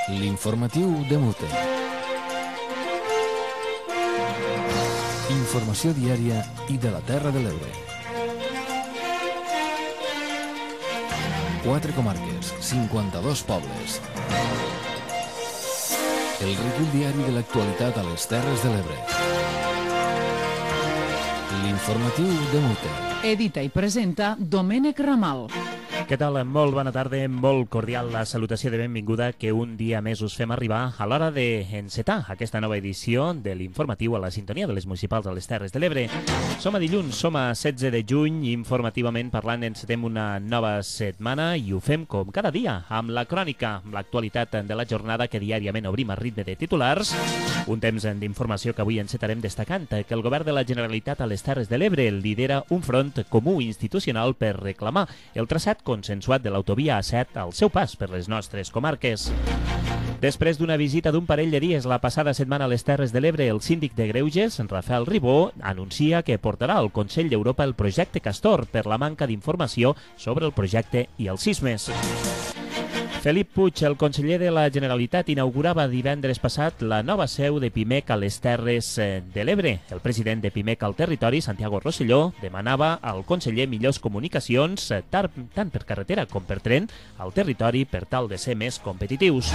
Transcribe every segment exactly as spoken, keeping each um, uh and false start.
L'informatiu de Mute. Informació diària i de la Terra de l'Ebre. Quatre comarques, cinquanta-dos pobles. El recull diari de l'actualitat a les Terres de l'Ebre. L'informatiu de Mute. Edita i presenta Domènec Ramal. Què tal? Molt bona tarda, molt cordial la salutació de benvinguda que un dia més us fem arribar a l'hora d'encetar aquesta nova edició de l'informatiu a la sintonia de les municipals a les Terres de l'Ebre. Som a dilluns, som a setze de juny, informativament parlant encetem una nova setmana i ho fem com cada dia, amb la crònica, amb l'actualitat de la jornada que diàriament obrim a ritme de titulars. Un temps d'informació que avui encetarem destacant que el govern de la Generalitat a les Terres de l'Ebre lidera un front comú institucional per reclamar el traçat consensuat de l'autovia A set al seu pas per les nostres comarques. Després d'una visita d'un parell de dies la passada setmana a les Terres de l'Ebre, el síndic de Greuges, Rafael Ribó, anuncia que portarà al Consell d'Europa el projecte Castor per la manca d'informació sobre el projecte i els sismes. Felip Puig, el conseller de la Generalitat, inaugurava divendres passat la nova seu de Pimec a les Terres de l'Ebre. El president de Pimec al territori, Santiago Rosselló, demanava al conseller millors comunicacions, tant per carretera com per tren, al territori per tal de ser més competitius.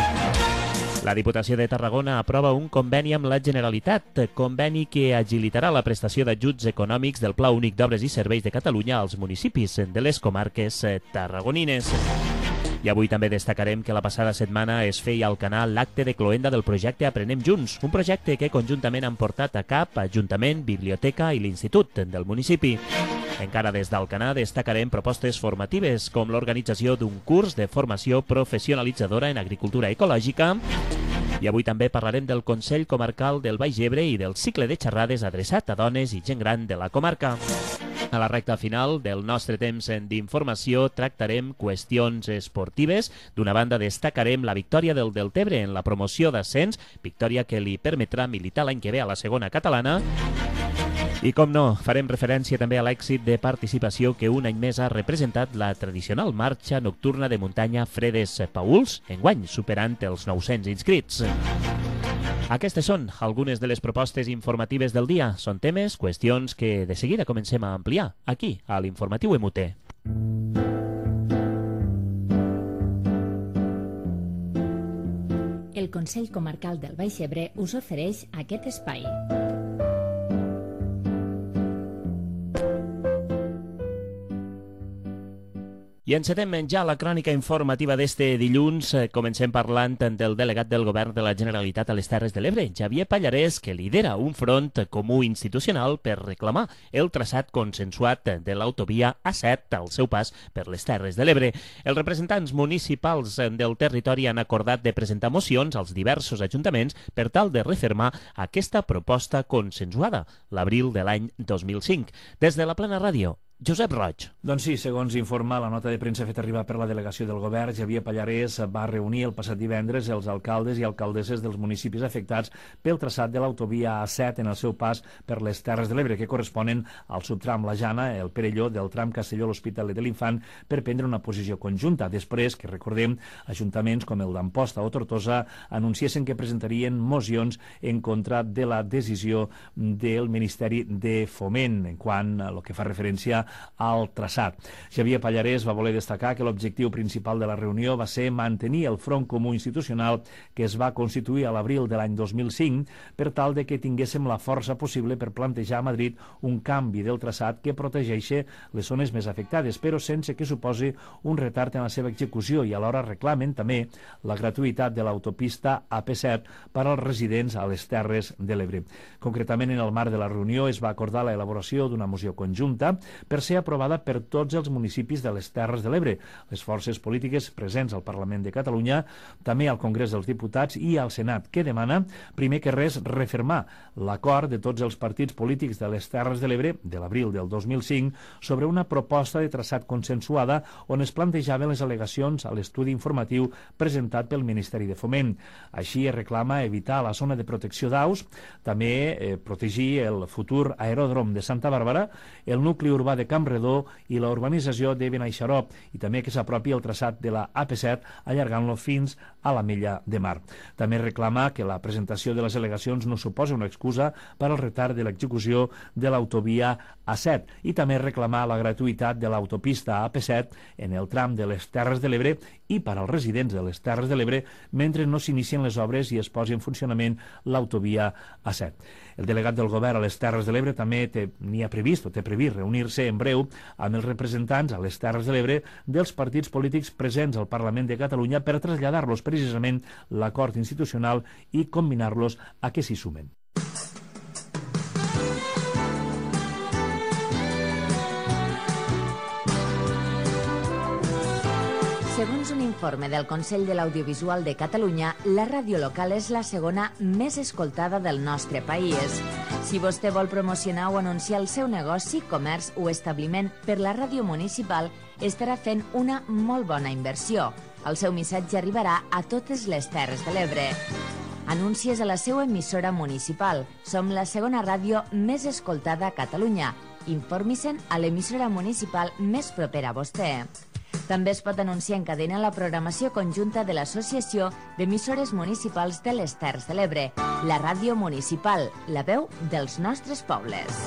La Diputació de Tarragona aprova un conveni amb la Generalitat, conveni que agilitarà la prestació d'ajuts econòmics del Pla Únic d'Obres i Serveis de Catalunya als municipis de les comarques tarragonines. I avui també destacarem que la passada setmana es feia al canal l'acte de cloenda del projecte Aprenem Junts, un projecte que conjuntament han portat a cap Ajuntament, Biblioteca i l'Institut del municipi. Encara des d'Alcanar destacarem propostes formatives com l'organització d'un curs de formació professionalitzadora en agricultura ecològica. I avui també parlarem del Consell Comarcal del Baix Ebre i del cicle de xerrades adreçat a dones i gent gran de la comarca. A la recta final del nostre temps d'informació tractarem qüestions esportives. D'una banda destacarem la victòria del Deltebre en la promoció d'ascens, victòria que li permetrà militar l'any que ve a la segona catalana. I com no, farem referència també a l'èxit de participació que un any més ha representat la tradicional marxa nocturna de muntanya Fredes Pauls, enguany superant els nou-cents inscrits. Aquestes són algunes de les propostes informatives del dia. Són temes, qüestions que de seguida comencem a ampliar aquí, a l'Informatiu M U T. El Consell Comarcal del Baix Ebre us ofereix aquest espai. I encetem ja la crònica informativa d'este dilluns. Comencem parlant del delegat del Govern de la Generalitat a les Terres de l'Ebre, Xavier Pallarès, que lidera un front comú institucional per reclamar el traçat consensuat de l'autovia A set al seu pas per les Terres de l'Ebre. Els representants municipals del territori han acordat de presentar mocions als diversos ajuntaments per tal de refermar aquesta proposta consensuada l'abril de l'any dos mil cinc. Des de la Plana Ràdio, Josep Roig. Doncs sí, segons informa la nota de premsa feta arribar per la delegació del govern, Xavier Pallarès va reunir el passat divendres els alcaldes i alcaldesses dels municipis afectats pel traçat de l'autovia A set en el seu pas per les Terres de l'Ebre, que corresponen al subtram La Jana, el Perelló, del tram Castelló-l'Hospitalet de l'Infant, per prendre una posició conjunta. Després, que recordem, ajuntaments com el d'Amposta o Tortosa anunciessin que presentarien mocions en contra de la decisió del Ministeri de Foment en quant a el que fa referència al traçat. Xavier Pallarès va voler destacar que l'objectiu principal de la reunió va ser mantenir el front comú institucional que es va constituir a l'abril de l'any dos mil cinc per tal de que tinguéssim la força possible per plantejar a Madrid un canvi del traçat que protegeixi les zones més afectades, però sense que suposi un retard en la seva execució, i alhora reclamen també la gratuïtat de l'autopista A P set per als residents a les Terres de l'Ebre. Concretament, en el marc de la reunió es va acordar l'elaboració d'una moció conjunta per ser aprovada per tots els municipis de les Terres de l'Ebre, les forces polítiques presents al Parlament de Catalunya, també al Congrés dels Diputats i al Senat, que demana, primer que res, refermar l'acord de tots els partits polítics de les Terres de l'Ebre de l'abril del dos mil cinc sobre una proposta de traçat consensuada on es plantejaven les al·legacions a l'estudi informatiu presentat pel Ministeri de Foment. Així es reclama evitar la zona de protecció d'aus, també eh, protegir el futur aeròdrom de Santa Bàrbara, el nucli urbà de de Campredó i la urbanització de Benaixaró, i també que s'apropi el traçat de la A P set allargant-lo fins a l'Ametlla de Mar. També reclama que la presentació de les al·legacions no suposa una excusa per al retard de l'execució de l'autovia A set i també reclamar la gratuïtat de l'autopista A P set en el tram de les Terres de l'Ebre i per als residents de les Terres de l'Ebre mentre no s'inicien les obres i es posi en funcionament l'autovia A set. El delegat del govern a les Terres de l'Ebre també n'hi ha previst o té previst reunir-se en breu amb els representants a les Terres de l'Ebre dels partits polítics presents al Parlament de Catalunya per traslladar-los precisament l'acord institucional i combinar-los a que s'hi sumen. Segons un informe del Consell de l'Audiovisual de Catalunya, la ràdio local és la segona més escoltada del nostre país. Si vostè vol promocionar o anunciar el seu negoci, comerç o establiment per la ràdio municipal, estarà fent una molt bona inversió. El seu missatge arribarà a totes les Terres de l'Ebre. Anuncies a la seva emissora municipal. Som la segona ràdio més escoltada a Catalunya. Informi-se'n a l'emissora municipal més propera a vostè. També es pot anunciar en cadena la programació conjunta de l'Associació d'Emissores Municipals de les Terres de l'Ebre, la ràdio municipal, la veu dels nostres pobles.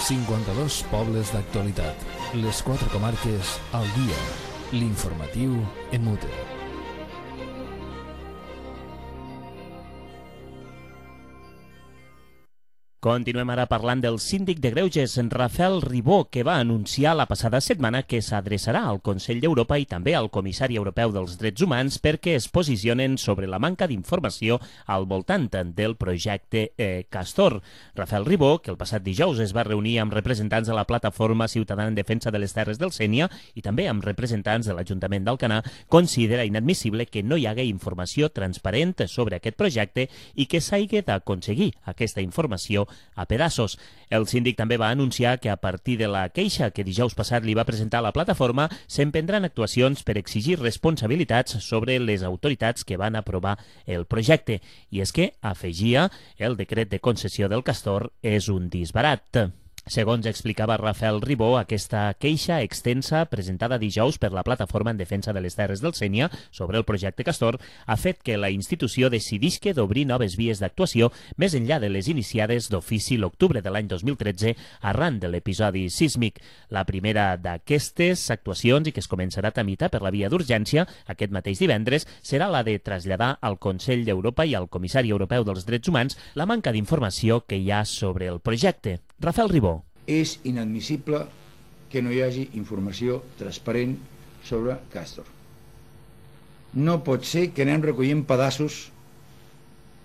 cinquanta-dos pobles d'actualitat. Les quatre comarques al dia. L'informatiu en mute. Continuem ara parlant del síndic de Greuges, Rafael Ribó, que va anunciar la passada setmana que s'adreçarà al Consell d'Europa i també al Comissari Europeu dels Drets Humans perquè es posicionen sobre la manca d'informació al voltant del projecte eh, Castor. Rafael Ribó, que el passat dijous es va reunir amb representants de la Plataforma Ciutadana en Defensa de les Terres del Sénia i també amb representants de l'Ajuntament d'Alcanar, considera inadmissible que no hi hagi informació transparent sobre aquest projecte i que s'hagi d'aconseguir aquesta informació a pedaços. El síndic també va anunciar que a partir de la queixa que dijous passat li va presentar la plataforma s'emprendran actuacions per exigir responsabilitats sobre les autoritats que van aprovar el projecte. I és que, afegia, el decret de concessió del Castor és un disbarat. Segons explicava Rafael Ribó, aquesta queixa extensa presentada dijous per la Plataforma en Defensa de les Terres del Sénia sobre el projecte Castor ha fet que la institució decidisca d'obrir noves vies d'actuació més enllà de les iniciades d'ofici l'octubre de l'any dos mil tretze arran de l'episodi sísmic. La primera d'aquestes actuacions, i que es començarà a tramitar per la via d'urgència aquest mateix divendres, serà la de traslladar al Consell d'Europa i al Comissari Europeu dels Drets Humans la manca d'informació que hi ha sobre el projecte. Rafael Ribó. És inadmissible que no hi hagi informació transparent sobre Castor. No pot ser que anem recollint pedaços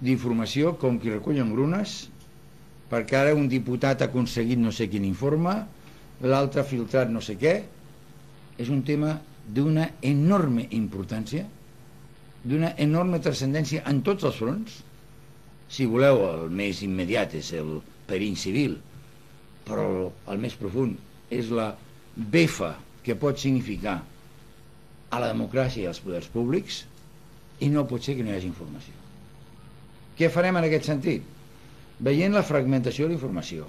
d'informació com qui recullen grunes, perquè ara un diputat ha aconseguit no sé quin informe, l'altre ha filtrat no sé què. És un tema d'una enorme importància, d'una enorme transcendència en tots els fronts. Si voleu, el més immediat és el perill civil, però el més profund és la befa que pot significar a la democràcia i als poders públics, i no pot ser que no hi hagi informació. Què farem en aquest sentit? Veient la fragmentació de la informació,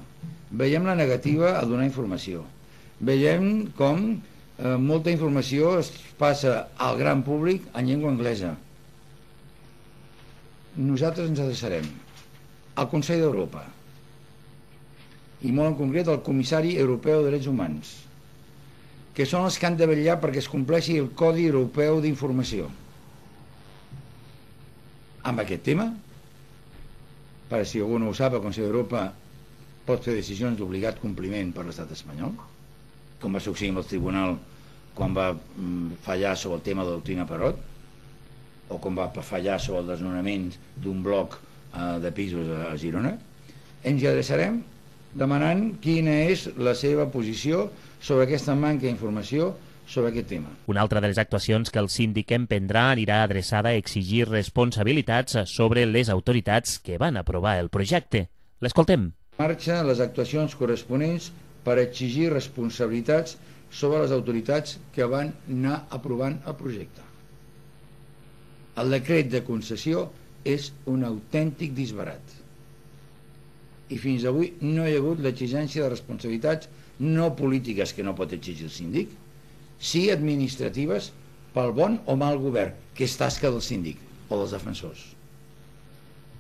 veiem la negativa a donar informació, veiem com eh, molta informació es passa al gran públic en llengua anglesa. Nosaltres ens adreçarem al Consell d'Europa i molt en concret al Comissari Europeu de Drets Humans, que són els que han de vetllar perquè es compleixi el Codi Europeu d'Informació. Amb aquest tema, per si algú no ho sap, el Consell d'Europa pot fer decisions d'obligat compliment per l'estat espanyol, com va succeir amb el tribunal quan va fallar sobre el tema de la doctrina Parot, o com va fallar sobre el desnonament d'un bloc eh, de pisos a Girona. Ens hi adreçarem demanant quina és la seva posició sobre aquesta manca d'informació sobre aquest tema. Una altra de les actuacions que el síndic emprendrà anirà adreçada a exigir responsabilitats sobre les autoritats que van aprovar el projecte. L'escoltem. Marxa les actuacions corresponents per exigir responsabilitats sobre les autoritats que van anar aprovant el projecte. El decret de concessió és un autèntic disbarat. i fins avui no hi ha hagut l'exigència de responsabilitats no polítiques que no pot exigir el síndic, sí administratives pel bon o mal govern, que és tasca del síndic o dels defensors.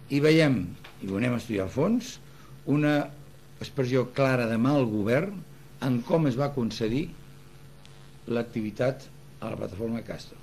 I veiem, i ho anem a estudiar al fons, una expressió clara de mal govern en com es va concedir l'activitat a la plataforma Castor.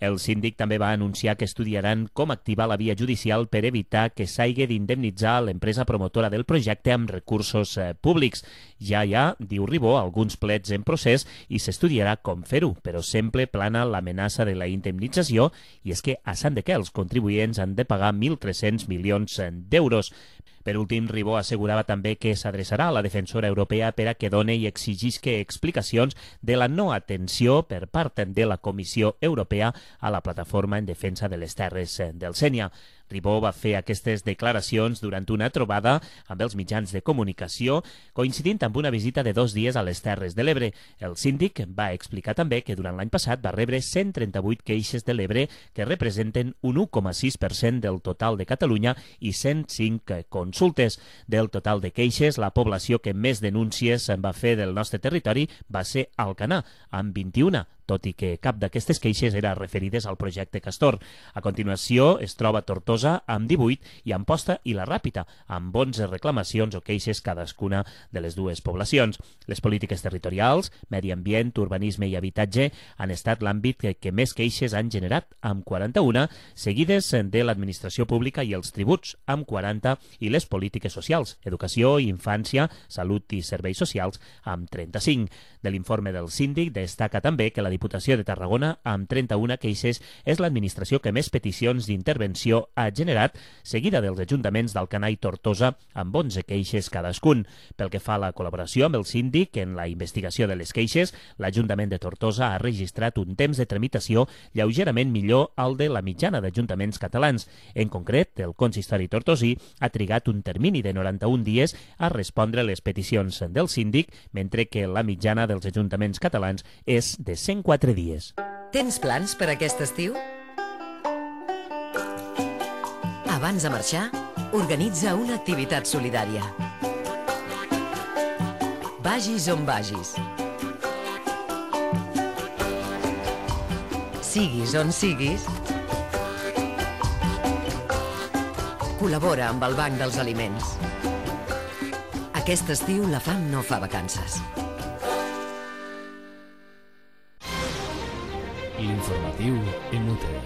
El síndic també va anunciar que estudiaran com activar la via judicial per evitar que s'hagi d'indemnitzar l'empresa promotora del projecte amb recursos eh, públics. Ja hi ha, diu Ribó, alguns plets en procés i s'estudiarà com fer-ho, però sempre plana l'amenaça de la indemnització, i és que a Sant de què els contribuents han de pagar mil tres-cents milions d'euros. Per últim, Ribó assegurava també que s'adreçarà a la defensora europea per a que doni i exigisca explicacions de la no atenció per part de la Comissió Europea a la plataforma en defensa de les terres del Sénia. Ribó va fer aquestes declaracions durant una trobada amb els mitjans de comunicació, coincidint amb una visita de dos dies a les Terres de l'Ebre. El síndic va explicar també que durant l'any passat va rebre cent trenta-vuit queixes de l'Ebre, que representen un u coma sis per cent del total de Catalunya i cent cinc consultes. Del total de queixes, la població que més denúncies va fer del nostre territori va ser Alcanar, amb vint-i-una, tot i que cap d'aquestes queixes era referides al projecte Castor. A continuació es troba Tortosa amb divuit i Amposta i la Ràpita, amb onze reclamacions o queixes cadascuna de les dues poblacions. Les polítiques territorials, medi ambient, urbanisme i habitatge han estat l'àmbit que, que més queixes han generat, amb quaranta-una, seguides de l'administració pública i els tributs, amb quaranta, i les polítiques socials, educació, infància, salut i serveis socials, amb trenta-cinc. De l'informe del síndic destaca també que la Diputació de Tarragona, amb trenta-una queixes, és l'administració que més peticions d'intervenció ha generat, seguida dels ajuntaments d'Alcanar i Tortosa, amb onze queixes cadascun. Pel que fa a la col·laboració amb el síndic en la investigació de les queixes, l'Ajuntament de Tortosa ha registrat un temps de tramitació lleugerament millor al de la mitjana d'ajuntaments catalans. En concret, el consistori tortosí ha trigat un termini de noranta-un dies a respondre les peticions del síndic, mentre que la mitjana dels ajuntaments catalans és de cent quatre dies. Tens plans per aquest estiu? Abans de marxar, organitza una activitat solidària. Vagis on vagis. Siguis on siguis, col·labora amb el Banc dels Aliments. Aquest estiu la fam no fa vacances. L'informatiu inútil.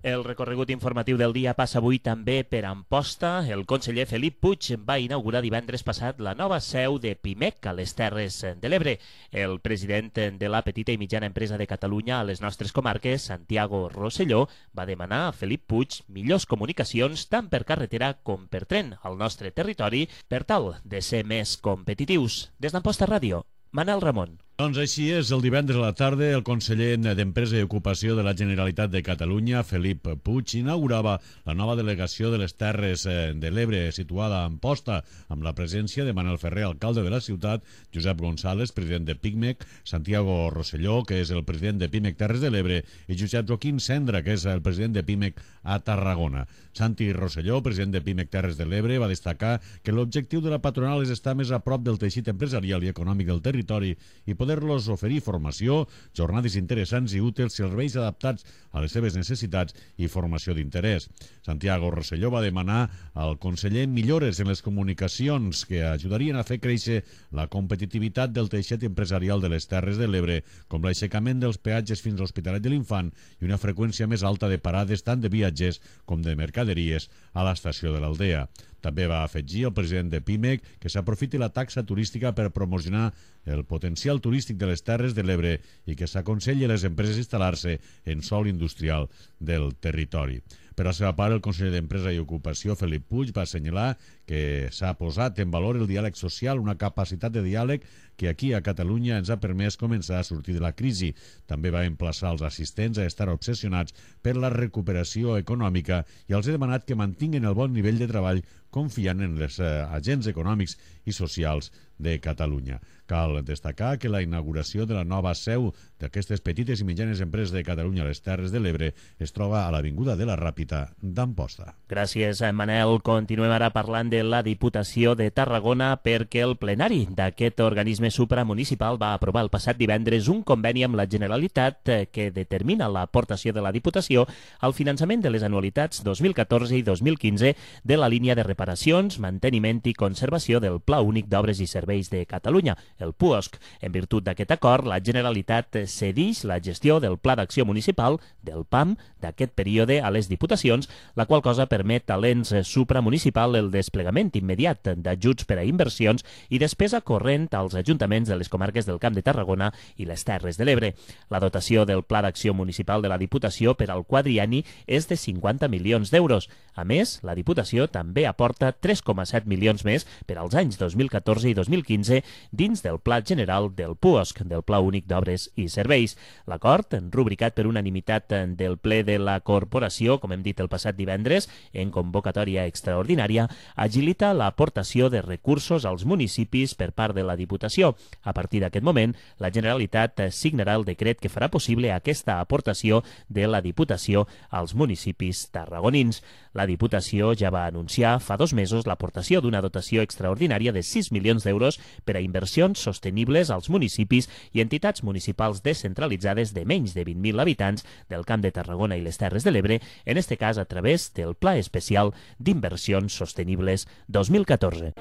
El recorregut informatiu del dia passa avui també per Amposta. El conseller Felip Puig va inaugurar divendres passat la nova seu de Pimec a les Terres de l'Ebre. El president de la petita i mitjana empresa de Catalunya a les nostres comarques, Santiago Rosselló, va demanar a Felip Puig millors comunicacions tant per carretera com per tren al nostre territori per tal de ser més competitius. Des d'Amposta Ràdio, Manel Ramon. Doncs així és, el divendres a la tarda el conseller d'Empresa i Ocupació de la Generalitat de Catalunya, Felip Puig, inaugurava la nova delegació de les Terres de l'Ebre, situada a Amposta, amb la presència de Manel Ferrer, alcalde de la ciutat, Josep González, president de Pimec, Santiago Rosselló, que és el president de Pimec Terres de l'Ebre, i Josep Joaquín Cendra, que és el president de Pimec a Tarragona. Santi Rosselló, president de Pimec Terres de l'Ebre, va destacar que l'objectiu de la patronal és estar més a prop del teixit empresarial i econòmic del territori i poder poder-los oferir formació, jornades interessants i útils, serveis adaptats a les seves necessitats i formació d'interès. Santiago Rosselló va demanar al conseller millores en les comunicacions que ajudarien a fer créixer la competitivitat del teixit empresarial de les Terres de l'Ebre, com l'aixecament dels peatges fins a l'Hospitalet de l'Infant i una freqüència més alta de parades tant de viatgers com de mercaderies a l'estació de l'Aldea. També va afegir el president de Pimec que s'aprofiti la taxa turística per promocionar el potencial turístic de les Terres de l'Ebre i que s'aconselli a les empreses instal·lar-se en sòl industrial del territori. Per la seva part, el conseller d'Empresa i Ocupació, Felip Puig, va assenyalar que s'ha posat en valor el diàleg social, una capacitat de diàleg que aquí a Catalunya ens ha permès començar a sortir de la crisi. També va emplaçar els assistents a estar obsessionats per la recuperació econòmica i els ha demanat que mantinguin el bon nivell de treball confiant en els eh, agents econòmics i socials de Catalunya. Cal destacar que la inauguració de la nova seu d'aquestes petites i mitjanes empreses de Catalunya a les Terres de l'Ebre es troba a l'Avinguda de la Ràpita d'Amposta. Gràcies, Manel. Continuem ara parlant de la Diputació de Tarragona perquè el plenari d'aquest organisme supramunicipal va aprovar el passat divendres un conveni amb la Generalitat que determina l'aportació de la Diputació al finançament de les anualitats dos mil catorze i dos mil quinze de la línia de reparacions, manteniment i conservació del Pla Únic d'Obres i Serveis de Catalunya, el P U O S C. En virtut d'aquest acord, la Generalitat cedeix la gestió del Pla d'Acció Municipal, del P A M, d'aquest període a les Diputacions, la qual cosa permet a l'ens supramunicipal el desplegament immediat d'ajuts per a inversions i despesa corrent als ajuntaments de les comarques del Camp de Tarragona i les Terres de l'Ebre. La dotació del Pla d'Acció Municipal de la Diputació per al quadrienni és de cinquanta milions d'euros. A més, la Diputació també aporta tres coma set milions més per als anys dos mil catorze i dos mil quinze dins del Pla General del P U O S C, del Pla Únic d'Obres i Serveis. L'acord, rubricat per unanimitat del ple de la Corporació, com hem dit el passat divendres, en convocatòria extraordinària, agilita l'aportació de recursos als municipis per part de la Diputació. A partir d'aquest moment, la Generalitat signarà el decret que farà possible aquesta aportació de la Diputació als municipis tarragonins. La Diputació ja va anunciar fa dos mesos l'aportació d'una dotació extraordinària de sis milions d'euros per a inversions sostenibles als municipis i entitats municipals descentralitzades de menys de vint mil habitants del Camp de Tarragona i les Terres de l'Ebre, en este cas a través del Pla Especial d'Inversions Sostenibles dos mil catorze.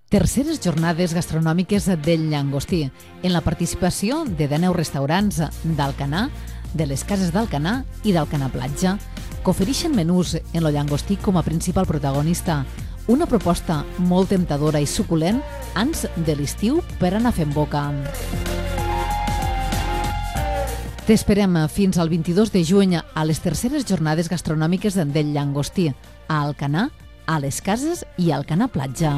Terceres jornades gastronòmiques del Llangostí, en la participació de dènou restaurants d'Alcanar, de les cases d'Alcanar i d'Alcanar Platja, que ofereixen menús en el llangostí com a principal protagonista. Una proposta molt temptadora i suculent ans de l'estiu per anar fent boca. T'esperem fins al vint-i-dos de juny a les terceres jornades gastronòmiques del Llangostí, a Alcanar, a les cases i a Alcanar Platja.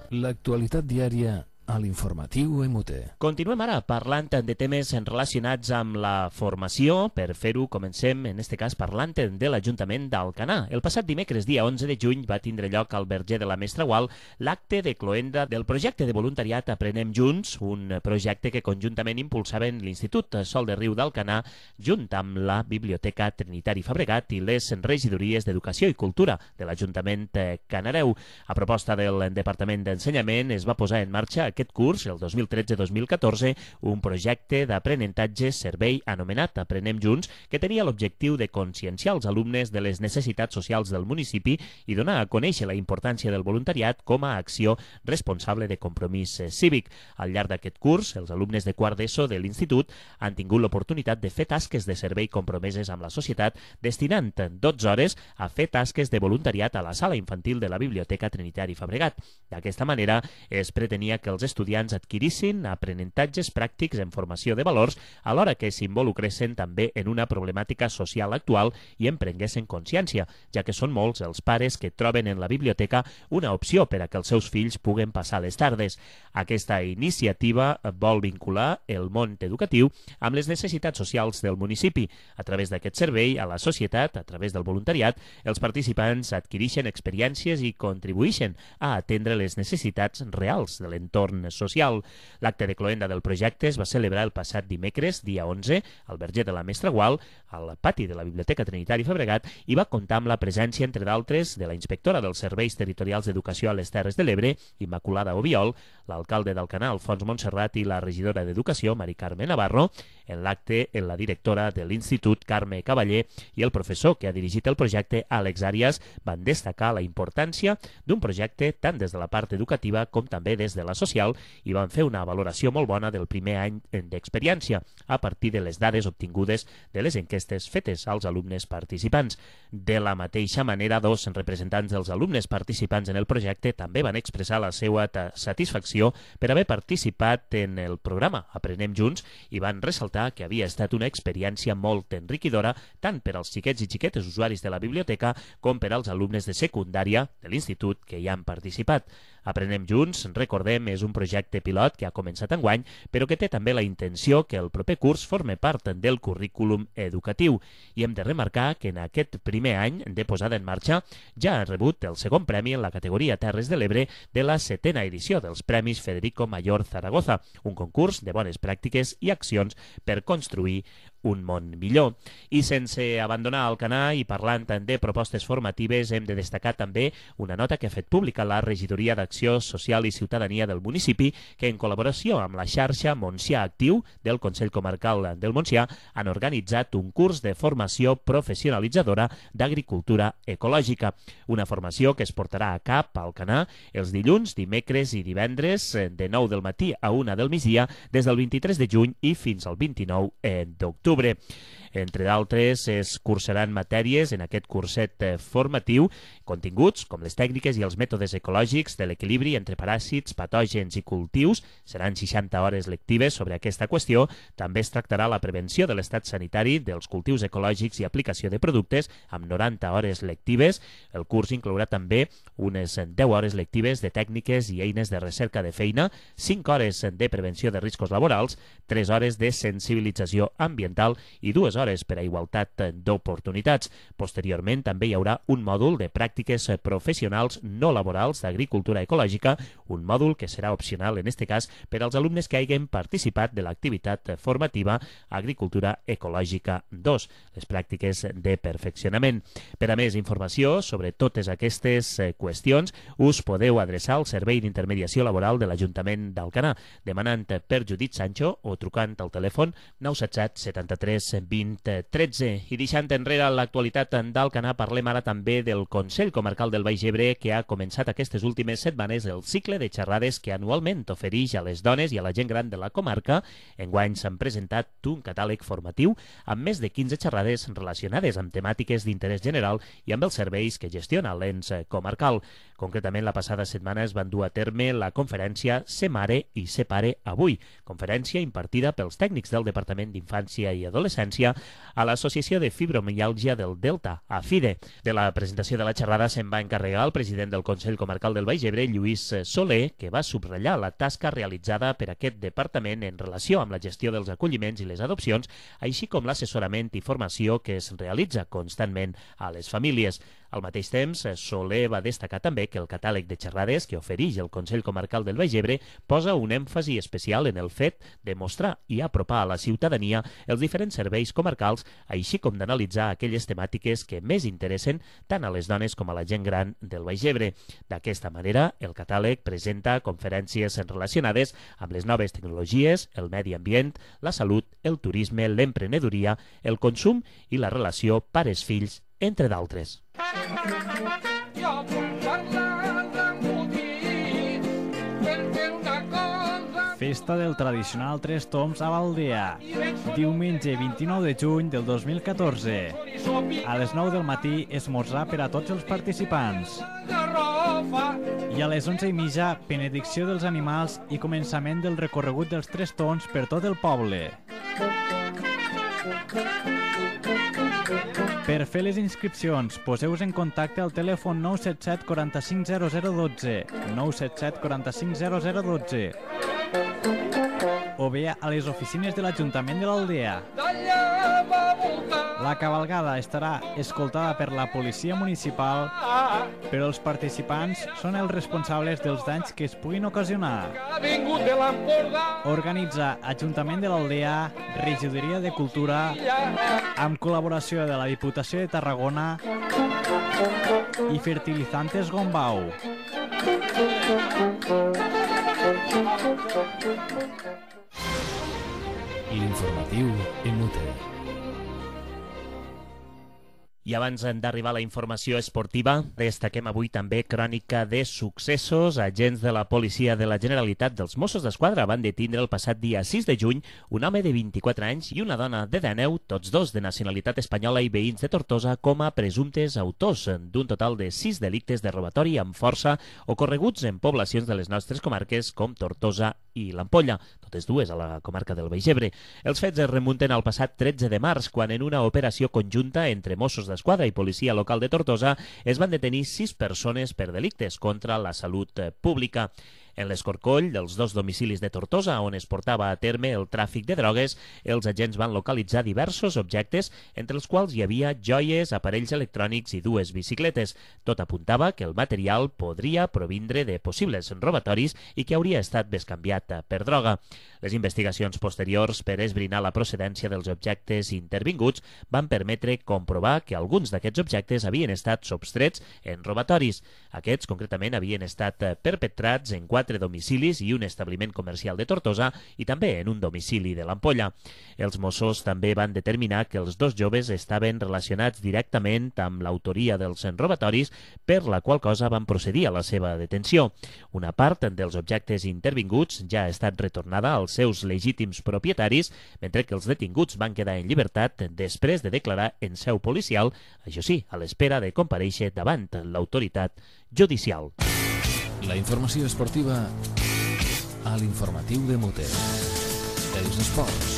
L'actualitat diària a l'informatiu M T. Continuem ara parlant de temes relacionats amb la formació. Per fer-ho, comencem, en este cas, parlant de l'Ajuntament d'Alcanar. El passat dimecres, dia onze de juny, va tindre lloc al Verger de la Mestra Gual l'acte de cloenda del projecte de voluntariat Aprenem Junts, un projecte que conjuntament impulsaven l'Institut Sol de Riu d'Alcanar, junt amb la Biblioteca Trinitari Fabregat i les regidories d'Educació i Cultura de l'Ajuntament Canareu. A proposta del Departament d'Ensenyament es va posar en marxa aquest curs, el dos mil tretze dos mil catorze, un projecte d'aprenentatge servei anomenat Aprenem Junts, que tenia l'objectiu de conscienciar els alumnes de les necessitats socials del municipi i donar a conèixer la importància del voluntariat com a acció responsable de compromís cívic. Al llarg d'aquest curs, els alumnes de quart d'ESO de l'institut han tingut l'oportunitat de fer tasques de servei compromeses amb la societat, destinant dotze hores a fer tasques de voluntariat a la sala infantil de la Biblioteca Trinitari Fabregat. D'aquesta manera, es pretenia que els estudiants adquirissin aprenentatges pràctics en formació de valors, alhora que s'involucressin també en una problemàtica social actual i en prenguessin consciència, ja que són molts els pares que troben en la biblioteca una opció per a que els seus fills puguen passar les tardes. Aquesta iniciativa vol vincular el món educatiu amb les necessitats socials del municipi. A través d'aquest servei a la societat, a través del voluntariat, els participants adquireixen experiències i contribueixen a atendre les necessitats reals de l'entorn social. L'acte de cloenda del projecte es va celebrar el passat dimecres, dia onze, al Verger de la Mestra Gual, al pati de la Biblioteca Trinitari Fabregat, i va comptar amb la presència, entre d'altres, de la inspectora dels Serveis Territorials d'Educació a les Terres de l'Ebre, Immaculada Obiol, l'alcalde d'Alcanar, Alfons Montserrat, i la regidora d'Educació, Mari Carme Navarro. En l'acte, la directora de l'Institut, Carme Cavaller, i el professor que ha dirigit el projecte, Àlex Àrias, van destacar la importància d'un projecte tant des de la part educativa com també des de la social, i van fer una valoració molt bona del primer any d'experiència a partir de les dades obtingudes de les enquestes fetes als alumnes participants. De la mateixa manera, dos representants dels alumnes participants en el projecte també van expressar la seva satisfacció per haver participat en el programa Aprenem Junts i van ressaltar que havia estat una experiència molt enriquidora tant per als xiquets i xiquetes usuaris de la biblioteca com per als alumnes de secundària de l'institut que hi han participat. Aprenem Junts, recordem, és un projecte pilot que ha començat enguany, però que té també la intenció que el proper curs forme part del currículum educatiu. I hem de remarcar que en aquest primer any de posada en marxa ja ha rebut el segon premi en la categoria Terres de l'Ebre de la setena edició dels Premis Federico Mayor Zaragoza, un concurs de bones pràctiques i accions per construir un món millor. I sense abandonar Alcanar i parlant de propostes formatives, hem de destacar també una nota que ha fet pública la Regidoria d'Acció Social i Ciutadania del municipi, que en col·laboració amb la xarxa Montsià Actiu del Consell Comarcal del Montsià han organitzat un curs de formació professionalitzadora d'agricultura ecològica. Una formació que es portarà a cap a Alcanar els dilluns, dimecres i divendres de nou del matí a una del migdia des del vint-i-tres de juny i fins al vint-i-nou d'octubre. Entre d'altres, es cursaran matèries en aquest curset formatiu, continguts com les tècniques i els mètodes ecològics de l'equilibri entre paràsits, patògens i cultius. Seran seixanta hores lectives sobre aquesta qüestió. També es tractarà la prevenció de l'estat sanitari dels cultius ecològics i aplicació de productes amb noranta hores lectives. El curs inclourà també unes deu hores lectives de tècniques i eines de recerca de feina, cinc hores de prevenció de riscos laborals, tres hores de sensibilització ambiental i dues hores per a igualtat d'oportunitats. Posteriorment també hi haurà un mòdul de pràctiques professionals no laborals d'agricultura ecològica, un mòdul que serà opcional en aquest cas per als alumnes que hagin participat de l'activitat formativa Agricultura Ecològica dos, les pràctiques de perfeccionament. Per a més informació sobre totes aquestes qüestions, us podeu adreçar al Servei d'Intermediació Laboral de l'Ajuntament d'Alcanar, demanant per Judit Sancho o trucant al telèfon nou set set setanta-tres vint tretze. I deixant enrere l'actualitat d'Alcanar, parlem ara també del Consell Comarcal del Baix Ebre, que ha començat aquestes últimes setmanes el cicle de xerrades que anualment ofereix a les dones i a la gent gran de la comarca. Enguany s'han presentat un catàleg formatiu amb més de quinze xerrades relacionades amb temàtiques d'interès general i amb els serveis que gestiona l'ens comarcal. Concretament, la passada setmana es van dur a terme la conferència Ser Mare i Ser Pare Avui, conferència impartida pels tècnics del Departament d'Infància i Adolescència a l'Associació de Fibromiàlgia del Delta, a FIDE. De la presentació de la xerrada se'n va encarregar el president del Consell Comarcal del Baix Ebre, Lluís Soler, que va subratllar la tasca realitzada per aquest departament en relació amb la gestió dels acolliments i les adopcions, així com l'assessorament i formació que es realitza constantment a les famílies. Al mateix temps, Soler va destacar també que el catàleg de xerrades que ofereix el Consell Comarcal del Baix Ebre posa un èmfasi especial en el fet de mostrar i apropar a la ciutadania els diferents serveis comarcals, així com d'analitzar aquelles temàtiques que més interessen tant a les dones com a la gent gran del Baix Ebre. D'aquesta manera, el catàleg presenta conferències relacionades amb les noves tecnologies, el medi ambient, la salut, el turisme, l'emprenedoria, el consum i la relació pares-fills, entre d'altres. Festa del tradicional Tres Tombs a Baldea, diumenge vint-i-nou de juny del dos mil catorze. A les nou del matí, esmorzar per a tots els participants. I a les onze i mitja, benedicció dels animals i començament del recorregut dels Tres Tombs per tot el poble. Per fer les inscripcions, poseu-vos en contacte al telèfon nou set set quaranta-cinc zero zero dotze, nou set set quaranta-cinc zero zero dotze, o bé a les oficines de l'Ajuntament de l'Aldea. La cavalgada estarà escoltada per la policia municipal, però els participants són els responsables dels danys que es puguin ocasionar. Organitza Ajuntament de l'Aldea, Regidoria de Cultura, amb col·laboració de la Diputació de Tarragona i Fertilizantes Gombau. L'informatiu en Mute. I abans d'arribar a la informació esportiva, destaquem avui també crònica de successos. Agents de la policia de la Generalitat dels Mossos d'Esquadra van detindre el passat dia sis de juny un home de vint-i-quatre anys i una dona de dènou, tots dos de nacionalitat espanyola i veïns de Tortosa, com a presumptes autors d'un total de sis delictes de robatori amb força ocorreguts en poblacions de les nostres comarques com Tortosa i l'Ampolla. totes dues a la comarca del Baix Ebre. Els fets es remunten al passat tretze de març, quan en una operació conjunta entre Mossos d'Esquadra i Policia Local de Tortosa es van detenir sis persones per delictes contra la salut pública. En l'escorcoll dels dos domicilis de Tortosa, on es portava a terme el tràfic de drogues, els agents van localitzar diversos objectes, entre els quals hi havia joies, aparells electrònics i dues bicicletes. Tot apuntava que el material podria provindre de possibles robatoris i que hauria estat bescanviat per droga. Les investigacions posteriors per esbrinar la procedència dels objectes intervinguts van permetre comprovar que alguns d'aquests objectes havien estat substrets en robatoris. Aquests, concretament, havien estat perpetrats en quatre domicilis i un establiment comercial de Tortosa i també en un domicili de l'Ampolla. Els Mossos també van determinar que els dos joves estaven relacionats directament amb l'autoria dels robatoris, per la qual cosa van procedir a la seva detenció. Una part dels objectes intervinguts ja ha estat retornada als seus legítims propietaris, mentre que els detinguts van quedar en llibertat després de declarar en seu policial, això sí, a l'espera de comparèixer davant l'autoritat judicial. La informació esportiva a l'informatiu de Mute. Els esports.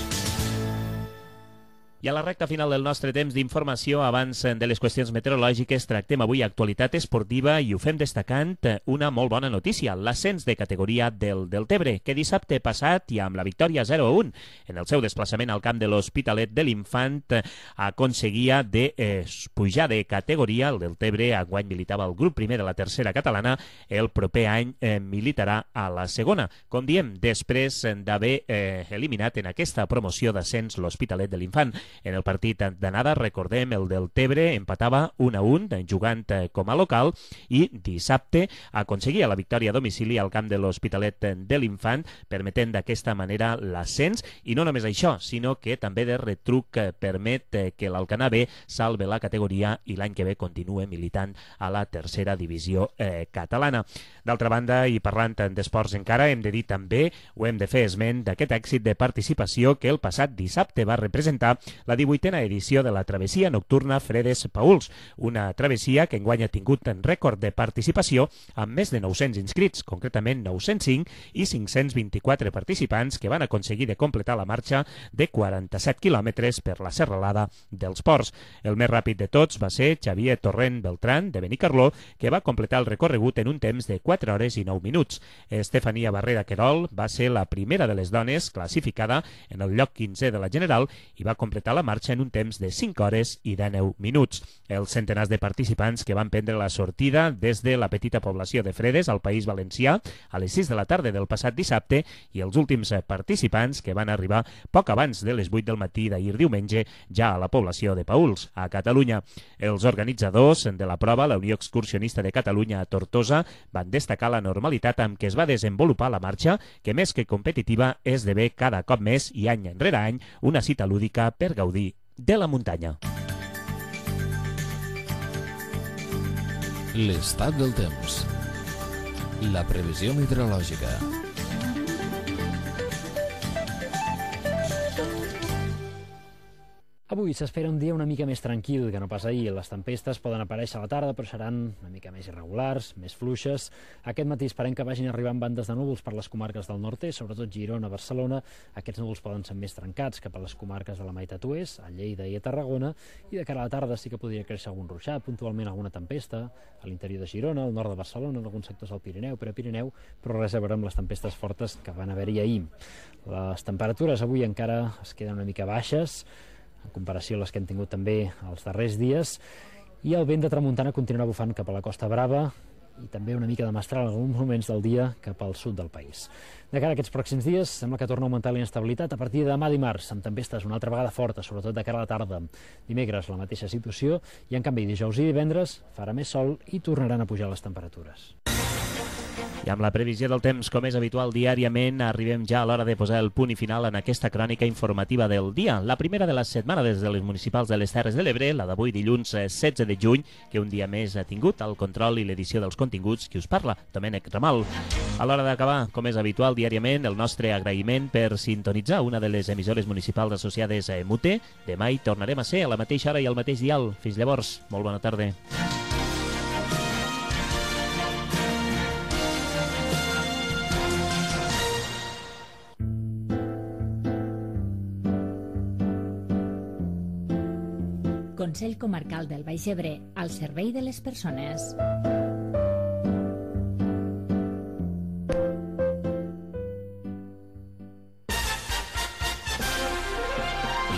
I a la recta final del nostre temps d'informació, abans de les qüestions meteorològiques, tractem avui actualitat esportiva i ho fem destacant una molt bona notícia, l'ascens de categoria del Deltebre, que dissabte passat, i amb la victòria zero a un en el seu desplaçament al camp de l'Hospitalet de l'Infant, aconseguia de eh, pujar de categoria. El Deltebre enguany militava al grup primer de la tercera catalana, el proper any eh, militarà a la segona. Com diem, després d'haver eh, eliminat en aquesta promoció d'ascens l'Hospitalet de l'Infant. En el partit d'anada, recordem, el Deltebre empatava un a un jugant com a local i dissabte aconseguia la victòria a domicili al camp de l'Hospitalet de l'Infant, permetent d'aquesta manera l'ascens, i no només això, sinó que també de retruc permet que l'Alcanar B salve la categoria i l'any que ve continue militant a la tercera divisió eh, catalana. D'altra banda, i parlant d'esports encara, hem de dir també, o hem de fer esment d'aquest èxit de participació que el passat dissabte va representar la divuitena edició de la travessia nocturna Fredes-Pauls, una travessia que enguany ha tingut en rècord de participació amb més de nou-cents inscrits, concretament nou-cents cinc, i cinc-cents vint-i-quatre participants que van aconseguir de completar la marxa de quaranta-set quilòmetres per la serralada dels Ports. El més ràpid de tots va ser Xavier Torrent Beltrán, de Benicarló, que va completar el recorregut en un temps de quatre hores i nou minuts. Estefania Barrera Querol va ser la primera de les dones classificada en el lloc quinzè de la general i va completar la marxa en un temps de cinc hores i dènou minuts. Els centenars de participants que van prendre la sortida des de la petita població de Fredes al País Valencià a les sis de la tarda del passat dissabte, i els últims participants que van arribar poc abans de les vuit del matí d'ahir diumenge ja a la població de Pauls, a Catalunya. Els organitzadors de la prova, la Unió Excursionista de Catalunya a Tortosa, van destacar la normalitat amb què es va desenvolupar la marxa, que més que competitiva esdevé cada cop més i any enrere any una cita lúdica per gaudir de la muntanya. L'estat del temps. La previsió meteorològica. Avui s'espera un dia una mica més tranquil que no pas ahir. Les tempestes poden aparèixer a la tarda, però seran una mica més irregulars, més fluixes. Aquest matí esperem que vagin arribant bandes de núvols per les comarques del nord-est, sobretot Girona, Barcelona. Aquests núvols poden ser més trencats cap a les comarques de la meitat oest, a Lleida i a Tarragona, i de cara a la tarda sí que podria créixer algun ruixat, puntualment alguna tempesta a l'interior de Girona, al nord de Barcelona, en alguns sectors del Pirineu, per a Pirineu, però res a veure amb les tempestes fortes que van haver-hi ahir. Les temperatures avui encara es queden una mica baixes, en comparació a les que hem tingut també els darrers dies, i el vent de tramuntana continuarà bufant cap a la Costa Brava i també una mica de mestral en alguns moments del dia cap al sud del país. De cara a aquests pròxims dies, sembla que torna a augmentar la inestabilitat a partir de demà dimarts, amb tempestes una altra vegada fortes, sobretot de cara a la tarda. Dimecres la mateixa situació, i en canvi dijous i divendres farà més sol i tornaran a pujar les temperatures. I amb la previsió del temps, com és habitual diàriament, arribem ja a l'hora de posar el punt i final en aquesta crònica informativa del dia. La primera de la setmana des de les municipals de les Terres de l'Ebre, la d'avui dilluns setze de juny, que un dia més ha tingut el control i l'edició dels continguts qui us parla, Domènec Ramal. A l'hora d'acabar, com és habitual diàriament, el nostre agraïment per sintonitzar una de les emissores municipals associades a Mute. Demà hi tornarem a ser a la mateixa hora i al mateix dial. Fins llavors, molt bona tarda. Consell Comarcal del Baix Ebre, al servei de les persones.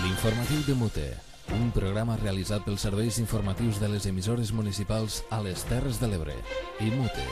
L'informatiu de Mute, un programa realitzat pels serveis informatius de les emissores municipals a les Terres de l'Ebre i Mute.